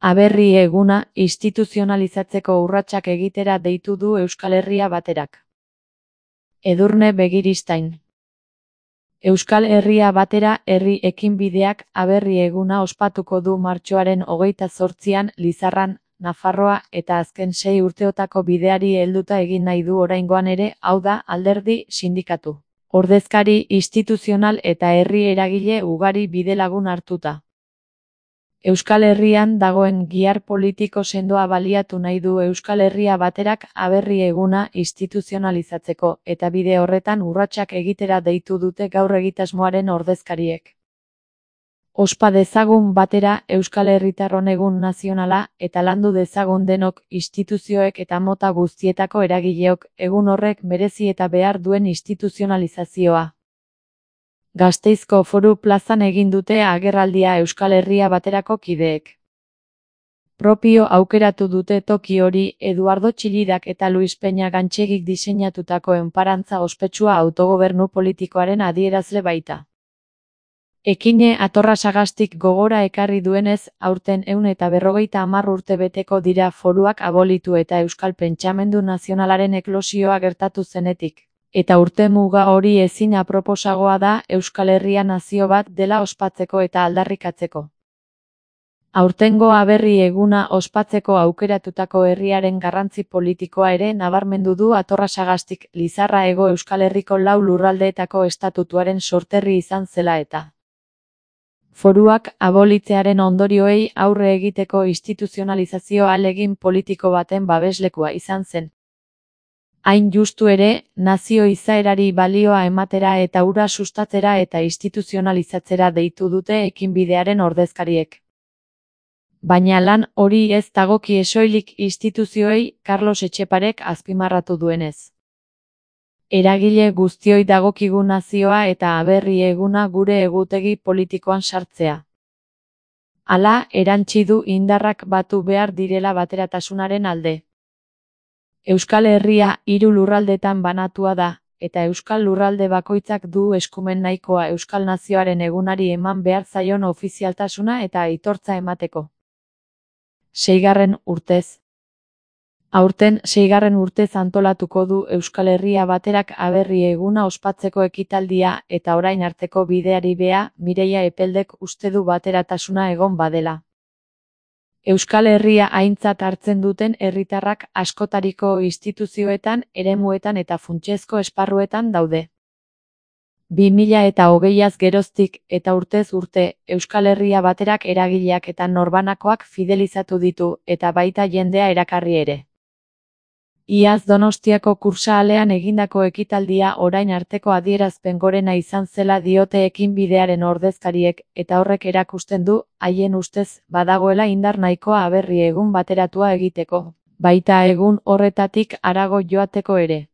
Aberri eguna instituzionalizatzeko urratsak egitera deitu du Euskal Herria Baterak. Edurne Begiristain. Euskal Herria Batera herri ekinbideak aberri eguna ospatuko du martxoaren 28an Lizarran, Nafarroa eta azken 6 urteotako bideari helduta egin nahi du oraingoan ere, hau da, alderdi, sindikatu, ordezkari instituzional eta herri eragile ugari bidelagun hartuta. Euskal Herrian dagoen gihar politiko sendoa baliatu nahi du Euskal Herria Baterak aberri eguna instituzionalizatzeko, eta bide horretan urratsak egitera deitu dute gaur egitasmoaren ordezkariek. Ospa dezagun batera Euskal Herritarron egun nazionala eta landu dezagun denok instituzioek eta mota guztietako eragileok egun horrek merezi eta behar duen instituzionalizazioa. Gasteizko Foru Plazan egin dute agerraldia Euskal Herria Baterako kideek. Propio aukeratu dute toki hori Eduardo Txillidak eta Luis Peña Gantxegik diseinatutako enparantza ospetsua autogobernu politikoaren adierazle baita. Ekine Atorra Sagastik gogora ekarri duenez, aurten 150 urte beteko dira foruak abolitu eta euskal pentsamendu nazionalaren eklosioa gertatu zenetik. Eta urte muga hori ezin aproposagoa da Euskal Herria nazio bat dela ospatzeko eta aldarrikatzeko. Aurtengo aberri eguna ospatzeko aukeratutako herriaren garrantzi politikoa ere nabarmendu du Atorra Sagastik, Lizarra Hego Euskal Herriko 4 lurraldeetako estatutuaren sorterri izan zela eta foruak abolitzearen ondorioei aurre egiteko instituzionalizazio ahalegin politiko baten babeslekua izan zen. Hain justu ere, nazio izaerari balioa ematera eta hura sustatzera eta instituzionalizatzera deitu dute ekinbidearen ordezkariek. Baina lan hori ez dagokie soilik instituzioei, Carlos Etxeparek azpimarratu duenez. Eragile guztioi dagokigu nazioa eta aberri eguna gure egutegi politikoan sartzea. Hala, erantsi du indarrak batu behar direla bateratasunaren alde. Euskal Herria 3 lurraldetan banatua da, eta Euskal Lurralde bakoitzak du eskumen nahikoa Euskal Nazioaren egunari eman behar zaion ofizialtasuna eta aitortza emateko. 6. urtez. Aurten 6. urtez antolatuko du Euskal Herria Baterak aberri eguna ospatzeko ekitaldia eta orain arteko bideari bea, Mireia Epeldek uste du bateratasuna egon badela. Euskal Herria aintzat hartzen duten herritarrak askotariko instituzioetan, eremuetan eta funtsezko esparruetan daude. 2020az geroztik eta urtez urte, Euskal Herria Baterak eragileak eta norbanakoak fidelizatu ditu eta baita jendea erakarri ere. Iaz Donostiako Kursaalean egindako ekitaldia orain arteko adierazpen gorena izan zela diote ekinbidearen ordezkariek eta horrek erakusten du, haien ustez, badagoela indar nahikoa aberri egun bateratua egiteko, baita egun horretatik harago joateko ere.